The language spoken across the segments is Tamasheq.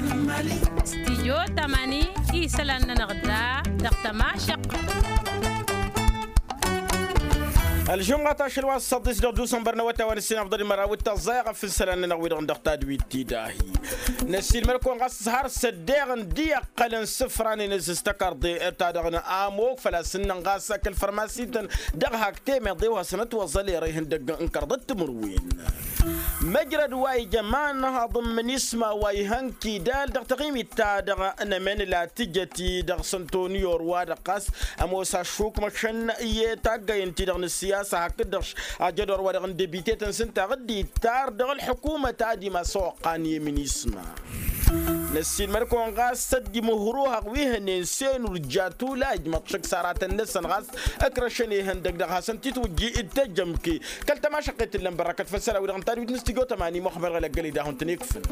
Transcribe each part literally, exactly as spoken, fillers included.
Stijyo tamani isălan-nănăɣ da dăɣ-tămašăq. Ălžumɣat ašăl wa s-săḍis dăɣ-dusănbăr n-awătay wa n-ǝssin afḍăl i-măraw d-tăẓẓay aɣăf n-isălan-nănăɣ wi-dăɣ n-dăɣ tadwit ti dahi. Năssiilmăd-kăwăn ɣas har s-ăddeɣ n-di-iqqălăn isǝfran-in ǝzzǝz tăkarḍe ta-dăɣ n-amok făl-a-s ǝnnăn ɣas kăl-fărmasităn dăɣ-hak temeḍe wa hasăn-ătwăẓăl i-ărăy ihăndăgg n-kăraḍăt timǝrwen. Măjrăd wa ija imanhaḍ n-minisma wa ihăn kidal dăɣ-taɣimit-ta-dăɣ n-emănǝla tǝjăt-i dăɣ-săntoni orwa-dăɣ ɣas ămoos ašukmăšăn i-taggăyăn-ti-dăɣ n-ǝssiyasa hakd-dăɣ ajădor wa dăɣ-n debite-tăn s-ǝnta ɣǝddi tar dăɣ-ălḥukumăt ad-imasăwăqqan i-minisma. Năssiilmăd-kăwăn ɣas săddi măhruhăɣ wi hănen senur jatula ijmăḍ šăkk s-aratăn-năsăn ɣas ǝkrăšăn ihăndăg dăɣ-hasăn-t-itwǝjji d-tejămke kăl-tămašăqqet ǝllăn bărrăkăt făll-isălan wi-dăɣ n-tadwit n-studyo tămani muxămăr ɣălăggăl-i dahun-tăn-ikfǝn.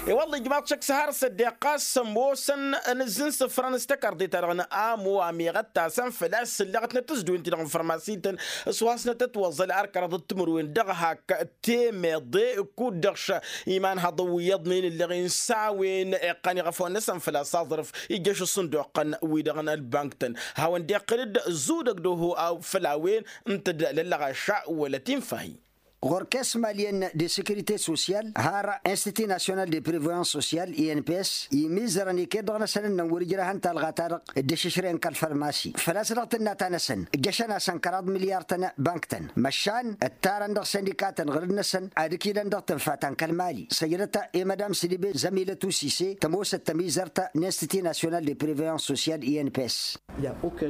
I-wălla ijmaḍ šăkk s-har s-ăddeɣ ɣas ămoosăn ănǝzzǝn isǝfran s-tăkarḍe-ta-dăɣ n-amo amiɣăt-tasăn făl-a-s ǝlleɣăt n-tǝzduwen-ti-dăɣ n-fărmasităn s-wa hasnăt-ătwăẓăl ar kăraḍăt timǝrwen dăɣ-hak temeḍe kud-dăɣ š-imanhăḍăn wi iyyăḍnen ǝlleɣen s-a-wen iqqan iɣăfăwăn-năsăn făl-a-s aẓrǝf ijjăš ǝṣṣǝnduqăn-wi-dăɣ n-ălbank-tăn hawăn-dd-iqqǝl-dd zudăg d-oho făll-a-wen ǝnta d-lăllăɣaša wăla tinfahi. Ɣur-kes maliyăn de sekirite sosyal har institut nasyonal de preveyans sosyal i n p s imizărăn iket-dăɣ-năsăn ǝnnăn wăr-ǝjrahăn talɣa-ta-dăɣ dd-ăššǝšrăyăn kăl-fărmasi făl-a-s dăɣ-tǝnnata-năsăn ǝjjăšăn-asăn kăraḍ milyar-tăn bank-tăn măšan ǝttarăn dăɣ-săndika-tăn ɣǝrǝd-năsăn ad-ǝkilăn dăɣ-tǝnfa ta n-kăl-mali săjdăt i-mădam sădibe zămilăt usise tămoosăt tămizărt n-institut nasyonal de preveyans sosyal i n p s.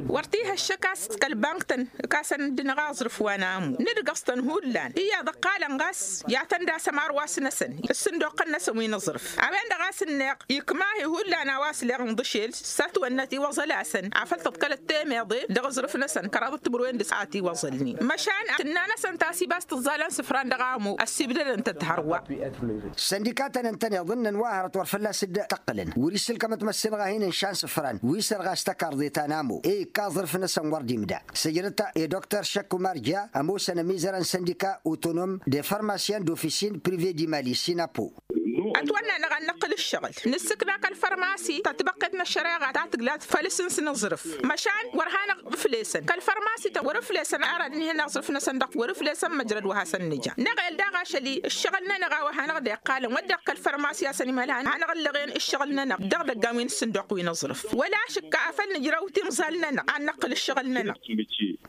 Wăr t-ih' ăššăk a-s kăl-bank-tăn ǝkasăn-dd-năɣ aẓrǝf wa n-amu nǝdgăẓ-tăn hullan iyyăḍ ǝqqalăn ɣas i-ad-tăn-dd-asăm arwas-năsăn ǝssǝnduqqăn-năsăn wi n-aẓrǝf a-wen-dăɣ a-s ǝnneɣ ikma-hi hullan a-wa s-leɣ n-iḍǝšel s-ătwănnăt iwăẓăl-asăn afăl tăḍkălăt temeḍe dăɣ-aẓrǝf-năsăn kăraḍăt timǝrwen d-a t-iwăẓălnen măšan tǝnna-năsăn tasibast ǝẓẓalăn isǝfran dăɣ-amu ăssibdădăn-tăt hărwa. Săndika-tăn ǝntăneḍ ǝnnăn wa hărăt wăr fălla-s dd-tăqqǝlăn wăr-issǝlkăm ătmăssinăɣ-ahin n-išan isǝfran wi sărɣas tăkarḍe ta n-amo i-ikka aẓrǝf-năsăn wăr dd-imda săjdăt i-dr šăkk umarja ămoosăn ămizărăn săndika otonom de farmasyan d-ofisin prive d-imali sinapo. Ătwănna-năɣ ad-năqqǝl ǝššăɣǝl nǝssǝkna kăl-fărmasi ta tibăqqet n-ăššăreɣa ta tǝgla făll-asǝns n-aẓrǝf măšan wăr hanăɣ-ǝflesăn kăl-fărmasi-tăn wăr-ǝflesăn ara dd-ǝnhǝyăn aẓrǝf-năsăn dăɣ-wăr-ǝflesăn măjrăd wa hasăn-nǝja năɣel daɣ ašăl-i ǝššăɣǝl-nănăɣ a-wa hanăɣ-dd-iqqalăn wădden kăl-fărmasi a-s ănimălhan hanăɣ-ǝllăɣen ǝššăɣǝl-nănăɣ dăɣ-idăggan wi n-ǝssǝnduq wi n-aẓrǝf wăla ašǝkka afăl nǝjrăw timẓal-nănăɣ ad-năqqǝl ǝššăɣǝl-nănăɣ.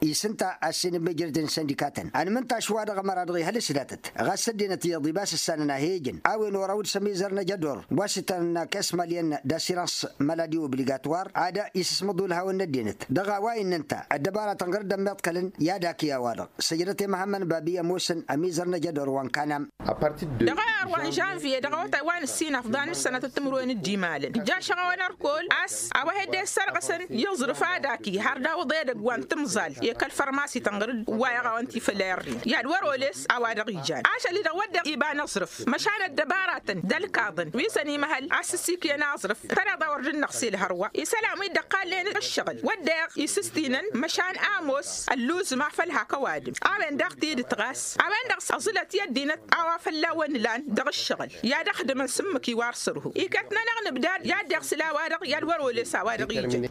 Isǝnta a-s inǝmmejrăd n-săndika-tăn ănmǝntaš-wa-dăɣ ămăra-dăɣ ihăl s-datăt ɣas ăddinăt iyyăḍ ibas ǝssanăn a he-ijăn a-wen oraw d-sămizăr n-ajădor wa s-itănna kes maliyăn d-asirans maladi obligatwar ad-isǝsmăḍ ulhawăn n-ăddinăt dăɣ-a-wa innă ǝnta ăddăbaratăn ɣur-dd ămmiḍkălăn i-ad-akǝy a-wa-dăɣ săjdăt i-măhămmăn babi ămoosăn ămizăr n-ajădor wa n-kanam. Dăɣ-ăyăr wa n-žănviye dăɣ-awătay wa n-ǝssin afḍăn n-ǝssănătăt timǝrwen d-imalăn ǝjja ašăɣawăn ărkol a-s a-wa hedde-s sărɣăsăn i-aẓrǝf ad-akǝy har d-awǝḍ edăgg wa n-timẓal i-kăl-fărmasi tănɣăr-dd wa iɣawăn ti făll-errin i-ad-wăr-oles a-wa dăɣ-ijan ašăl-i-dăɣ wădden iba n-aẓrǝf măšan ăddăbaratăn d-ălkaḍăn wi s-ănimăhăl a-s ǝssikǝyăn aẓrǝf tăneḍ a wăr dd-năɣsel hărwa isălan wi dd-ăqqalnen ǝššăɣǝl wădden isǝstinăn măšan ămoos ălluzǝm afăl hak ăwadǝm a-wen daɣ tidǝt ɣas a-wen-dăɣ s-ăẓǝlăt i-ăddinăt a-wa fălla-wăn ǝlan dăɣ-ǝššăɣǝl i-ad-ăxdǝmăn s-ǝmmǝk iwar sărhu iket-nănăɣ nǝbdad i-ad-dd-iɣsǝl a-wa-dăɣ i-ad-wăr-oles a-wa-dăɣ ijăn.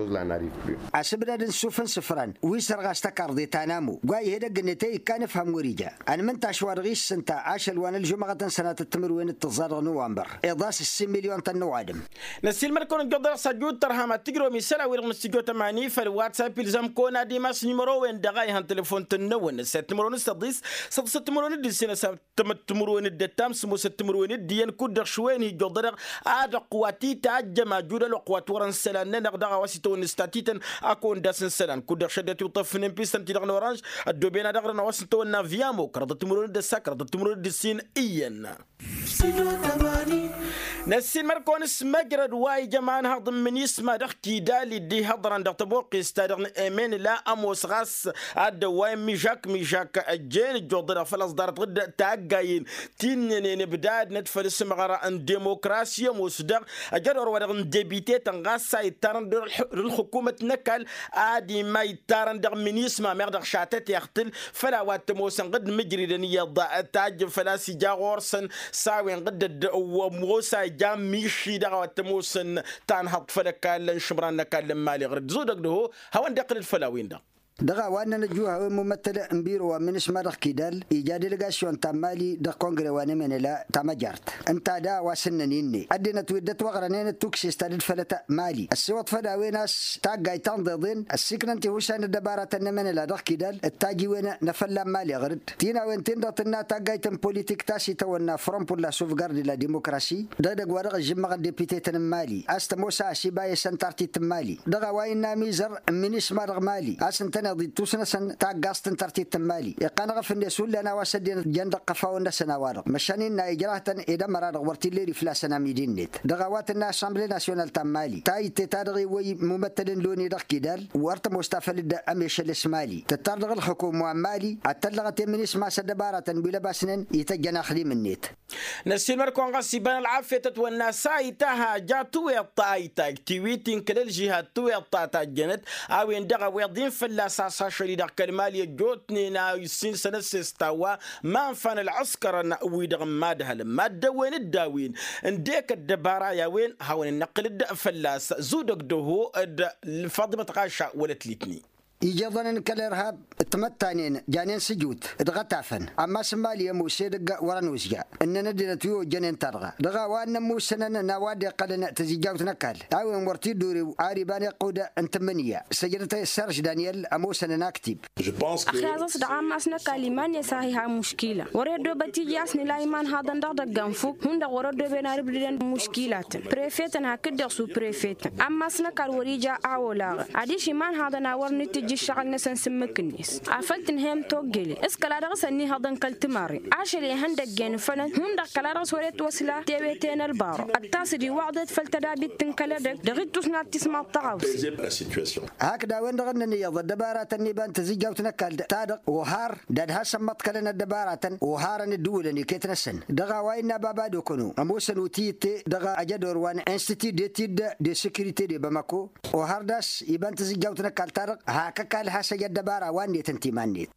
Asǝbdad n-isuf n-isǝfran wi sărɣas tăkarḍe ta n-amo wa ih' edăgg-net i-ikkan ǝfhăm wăr-ija ănmǝntaš wa dăɣ-i s-ǝnta ašăl wa n-ălžumăɣăt n-sănatăt timǝrwen d-tǝẓẓa-dăɣ n-uwanbăr iḍas ǝssin milyon-tăn n-ăwadǝm. Năssiilmăd-kăwăn ǝjjuḍăr s-ajju d-tărham ad-tǝjrăwăm isălan-wi-dăɣ n-studyo tămani făll-whatsapp ilzam-kăwăn ad-imas nimăro-wen-dăɣ a ihăn telefon-tăn-năwăn s-timǝrwen d-săḍis săḍisăt timǝrwen d-ǝssin ăsătmăt timǝrwen d-ăttam sǝmmosăt timǝrwen d-iyyăn kud-dăɣ šwen ijjuḍădăɣ ad-ăqqǝwat itajjăm ajud ălwăqq wa t-wărăn isălan-nănăɣ dăɣ-a-wa s-itawănna s-tatităn. Ad-kăwăn-dd-asǝn isălan kud-dăɣ šăddinăt iwṭṭăfnen pistăn-ti-dăɣ n-oranž ăddooben ad-ăɣrǝn a-wa s-itawănna viyamo kăraḍăt timǝrwen d-ăssa kăraḍăt timǝrwen d-ǝssin iyyăn. Năssiinmăr-kăwăn s-măjrăd wa ija imanhăḍ n-minisma dăɣ-kidal-i dd-ihăḍrăn dăɣ-tăboqqest-ta-dăɣ n-emenla ămoos ɣas ad-dd-ăwwayăn mižak-mižak ăjjeen ǝjjuḍădăɣ făl-ăẓḍarăt ɣǝd taggayen ti ǝnnănen ǝbdadnăt făll-asǝmɣăr n-demokrasi ămoos dăɣ-ajădor-wa-dăɣ n-debitetăn ɣas a ittarăn dăɣ-ǝlxǝkumăt n-ăkall ad-ima ittarăn dăɣ-minisma meɣ dăɣ-šatăteɣ-t-ǝl făl a-wa t-ămoosăn ɣǝd mǝjridăn iyyăḍ tajjǝn făl-a-s ija ɣur-săn s-a-wen ɣǝddăd ămoos a ija miši dăɣ-a-wa t-ămoosăn tanhăḍt făll-ăkall n-išǝmran n-ăkall n-imali ɣur-dd zudăg d-ăho hawăn-dd-iqqǝlăd făll-a-wen-dăɣ. Dăɣ-a-wa ǝnnăn ăjjuh a-wen mumăttăl n-biro wa n-minisma dăɣ-kidal ija delegasyon ta n-mali dăɣ-kongre wa n-emenela ta măjart ǝnta da a-wa s-ǝnnăn inne ăddinăt wi dd-ătwăɣrănen d-tukses ta dd-fălăt mali ăssiwăḍ făll-a-wen a-s taggayt ta n-iḍeḍen ăssiiknăn tihusa n-ăddăbaratăn n-emenela dăɣ-kidal d-tajiwen n-afălla n-mali ɣur-dd ti n-a-wen-tin-dăɣ tǝnna taggayt n-politik ta s-itawănna front pour la sauvegarde de la demokrasi dăɣ-edăgg wa dăɣ-ăžžǝmmăɣăn depitetăn n-mali a-s tămoos a ăsiba i-săn tartit n-mali dăɣ-a-wa innă amizăr n-minisma dăɣ-mali a-s ǝntăneḍ ittus-năsăn taggaẓt n-tartit n-mali iqqan ɣăf-net hullan a-wa s-ăddinăt jăn dăɣ-iqăfawăn-năsăn a-wa-dăɣ măšan innă ijrahtăn ed ămăra-dăɣ wăr t-illa eri flasăn amidi-net dăɣ-a-wa tǝnna assemble nasyonal ta n-mali ta itte ta dăɣ-iwwăy mumăttăl n-loni dăɣ-kidal wăr tămoos ta făll-dd-ămešăl s-mali tǝttar dăɣ-ǝlxǝkum wa n-mali ad-tăllăɣăt i-minisma s-ăddăbaratăn wi lăbasnen ităjjăn axdim-net. Năssiilmăr-kăwăn ɣas iba n-ălɣafyăt ătwănna s-a itaha ja tuweḍt ta a itag tiwit-in kăl-ălžihad tuweḍt ta tajjănăt a-wen-dăɣ ăweḍ-in fălla-s a-s ašăl-i-dăɣ kăl-mali ăjjootnen a issin sănăsses ta wa ma ănfan ălɣǝskărăn-wi-dăɣ n-imadhălăn mad-dăwwen-dd a-wen ǝndek ăddăbara i-a-wen hawăn-in-năqqǝl-dd fălla-s zudăg d-ăho d-faḍimăt ɣaša wăla t-litni. Ijeḍăn n-kăl-irhab timăttanen janen sǝjut dăɣ-atafăn ămmas n-mali ămoos edăgg wăr-ănuzja ǝnnăn ăddinăt wi ojjănen-ta-dăɣ dăɣ-a-wa ănnămmusănăn n-a-wa dd-iqqălăn tǝzijjawt n-ăkall a-wen wăr t-dd-urew ar iba n-iqqud n-tǝmmǝnǝya săjdăt serž daniyel ămoosăn n-aktib. Ăxyaẓ-s dăɣ-ammas n-ăkall iman-net a hi-ha muškila wăr-e ăddoobăt ija a-s nǝla imanhaḍăn dăɣ-idăggan fukk hundăɣ wăr-ăddooben ar ǝbdǝdăn muškilatăn prefetăn hakd-dăɣ su-prefetăn ammas n-ăkall wăr-ija a olaɣăn adiš imanhaḍăn a wăr nǝtǝjj ǝššăɣǝl-năsăn s-ǝmmǝk-net afăl tǝnhăyăm toggele s-kăla dăɣ-s ănnihăḍăn kăl-timarre ašăl ihăndăggen fălăn hundăɣ kăla dăɣ-s wăr-e ătwăsla tewete n-ălbaro ăttas-dd iwwaḍet făll-tădabit n-kăl-edăgg dăɣ-ittus n-ad-tismaḍ tăɣawse. Hakd a-wen-dăɣ ǝnnăn iyyăḍ ăddăbaratăn n-iba n-tǝzǝjjawt n-ăkall-ta-dăɣ ohar d-ad-hasăn-măḍkălăn ăddăbaratăn oharăn ǝddǝwǝlăn iket-năsăn dăɣ-a-wa innă baba d-okăno ămoosăn utǝy itte dăɣ-ajădor wa n-institut d-etid de securite de bamako ohar d-a-s iba n-tǝzǝjjawt n-ăkall-ta-dăɣ hak ăkall has-ăj ăddăbara wa n-net ǝnta iman-net.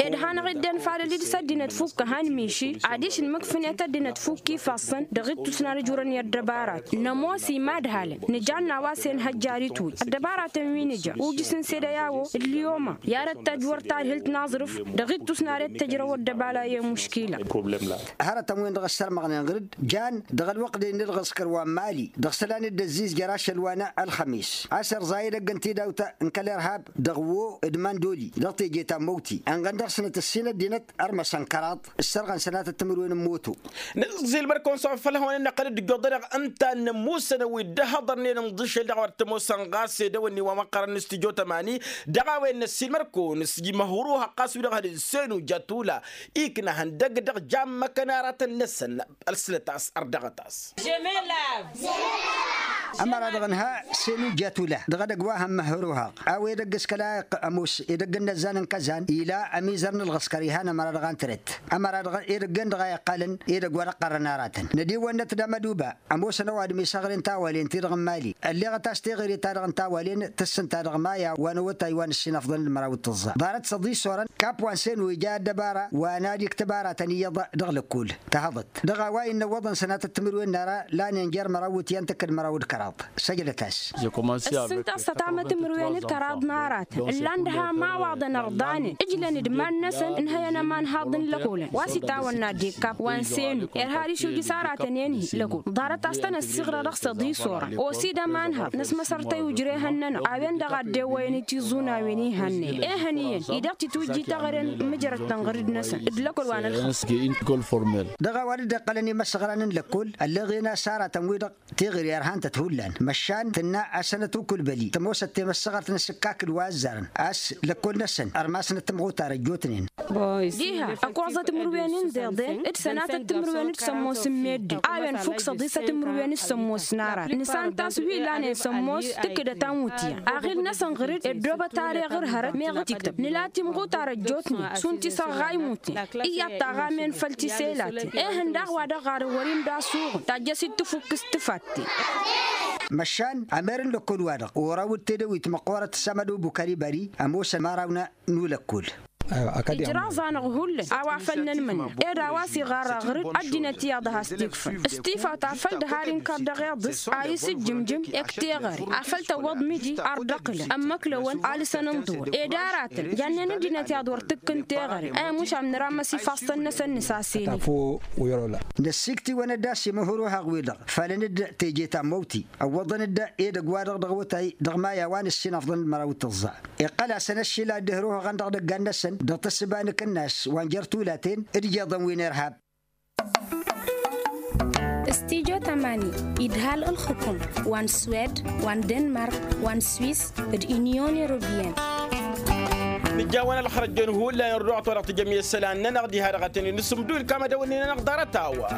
Ed hanăɣ-dd-ănfalăl-dd s-ăddinăt fukk ăhan miši adiš ǝnmǝkfǝnet ăddinăt fukk ifassăn dăɣ-ittus n-ad-ăj urăn i-ăddăbarat nămoos imadhalăn nǝjan n-a-wa s-e-nǝhăjjar itwǝy ăddăbaratăn wi nǝja ujǝs n-sede i-a-wo d-liyoma i-ad-ăttăj wăr tadhǝlt n-aẓrǝf dăɣ-ittus n-ad-e-t tǝjrăw ăddăbala i-muškila. Hărătăn-wen-dăɣ ăssărmăɣnen ɣǝr-dd jan dăɣ-ălwăqq-de n-ǝlɣǝskăr wa n-mali dăɣ-isălan-dd ăzzizjăr ašăl wa n-ălxămis a-s irẓa edăgg n-tidawt n-kăl-irhab dăɣ-wo d-mandoli dăɣ-teje ta n-măwti ănɣăn dăɣ-snăt ǝssin ăddinăt ărmăsăn kăraḍ ǝssărɣăn sănatăt timǝrwen n-moto. Nǝẓẓil mărkăwăn s-a-wa făl hawăn-ănnăqqăl d-ǝjjuḍădăɣ ǝnta n-ămmusăn wi dd-ăhhăḍărnen ǝnḍǝšel dăɣ-a-wa t-ămoosăn ɣas edăwănni wa măqqărăn n-stujo tămani dăɣ-a-wen năssiilmăr-kăwăn s-ija măhruhăɣ ɣas wi-dăɣ hănen senu jatula ikna ihăndăgg dăɣ-jammăkăn aratăn-năsăn. Ălsǝlăt-as ărdăɣăt-as. Ămăra-dăɣ ǝnha senu jatula dăɣ-edăgg wa hămmăhăruhăɣ a-wa edăgg s-kăla iqqăl ămoos edăgg n-inăzzan n-kăzan ila ămizăr n-ălɣǝskăr ihăn ămăra-dăɣ antărăt ămăra-dăɣ edăgg-en-dăɣ a iqqalăn edăgg wa dăɣ-qqărrăn aratăn nădiwănnăt d-amăduba ămoosăn ăwadǝm isăɣren tawalen-ti-dăɣ n-mali ălleɣăt a-s teɣăre-ta-dăɣ n-tawalen tǝssǝnta dăɣ-maya wa n-awătay wa n-ǝssin afḍăn d-măraw d-tǝẓẓa ḍarăt s-ăḍissorăn kap wa n-senu ija ăddăbara wa n-ad-iktǝb aratăn iyyăḍ dăɣ-lăkkol. Tăhăḍăt dăɣ-a-wa innă ǝwwăḍăn sănatăt timǝrwen n-ara lanen jer-măraw wǝtyan tǝkkǝd măraw d-kăraḍ. Săjdăt-as. Ǝssǝnta s-ătamăt timǝrwen d-kăraḍ n-aratăn ǝllan d-ha imawaḍăn ărḍanen ǝjlăn d-iman-năsăn ǝnhăyăn ămanhaḍ n-lăkolăn wa s-itawănna dekap wa n-senu irha ad-išujǝs aratăn-en-hi lăkol ḍarăt a-s tăn-ăssiɣrăr dăɣ-s ăḍisorăn osi d-ămanhaḍ n-ăsmăsărtăy ujrehăn-nănăɣ a-wen-dăɣ a dd-ewwăyăn i-tiẓunăwen ihănnăyăn ehăn iyyăn idăɣ titwǝjji taɣăre n-mǝjrăd tănɣărid-năsăn d-lăkol wa n-ălxăs. Dăɣ-a-wa dd-iqqălăn imăsăɣran n-lăkkol ălleɣen a-s aratăn-wi-dăɣ teɣăre ărhan-tăt hullan. Măšan tǝnna a-s sănăt ukulbăli tămoosăt temăssăɣărt n-asǝkkak d-wa ăzzarăn a-s lăkkol-năsăn ărmasnăt tămɣutar ăjjootnen. Diha ăkoẓăt timǝrwen n-deḍen d-sănatăt timǝrwen d-sămmos n-meddǝn a-wen fukk săḍisăt timǝrwen d-sămmos n-arat nǝsant a-s wi lanen sămmos tǝkkǝdăt amutya aɣil-năsăn ɣǝr-dd ăddoobăt areɣǝr hărăt meɣ t-iktăb nǝla timɣutar ăjjootnen šund tisăɣɣa imuten. Iyyăḍ taɣamen făll-tiselaten ehăn daɣ wa dăɣ-ɣarăn wăr-imda asuɣǝn tajjăsit tǝfukkǝst tǝfatten. Măšan amer n-lăkkol-wa-dăɣ oraw d-tedăwit măqqoorăt s-amădo bukari bari ămoosăn imărawna n-ulăkkol. Ijraẓ-anăɣ hullan a-wa făll-nănmănna ed a-wa s-iɣarra ɣǝr-dd ăddinăt iyyăḍ a has-t-ikfăn s-tifawt afăl dd-har inkăr dăɣ-iḍǝs a isǝjjǝmjǝm. Ekt teɣăre afăl tăwwăḍ miji ardăqǝlăn ămmăklăwăn alǝsăn n-ḍuwăr ed aratăn jannen ăddinăt iyyăḍ wăr tǝkkǝn teɣăre. Ămušam nǝrammăs ifassăn-năsăn nǝsasene. Năssikt'-iwăn-dd a-s imǝhǝruhăɣ-wi-dăɣ falăn-dd teje tammăwti ăwwăḍăn-dd edăgg-wa-dăɣ dăɣ-awătay dăɣ-maya wa n-ǝssin afḍăn n-măraw d-tǝẓẓa. Iqqăl-asăn ăššila dd-hǝruhăɣăn dăɣ-idăggan-năsăn dăɣ-tǝssǝba n-akǝnnas wa n-jer-tulaten d-ijeḍăn wi n-irhab. Stijo tamani idhal ǝlxǝkum wa n-swed wa n-denmark wa n-swis d-inyon europiyăn. Nǝjjawăn ălxărăjjăn hullan ărduɣăt wa dăɣ-tǝjjăm i-isălan-nănăɣ diha-dăɣ a tăn-in-nǝsǝmdul kamădăw-nin-nănăɣ ḍarăt-a-wa.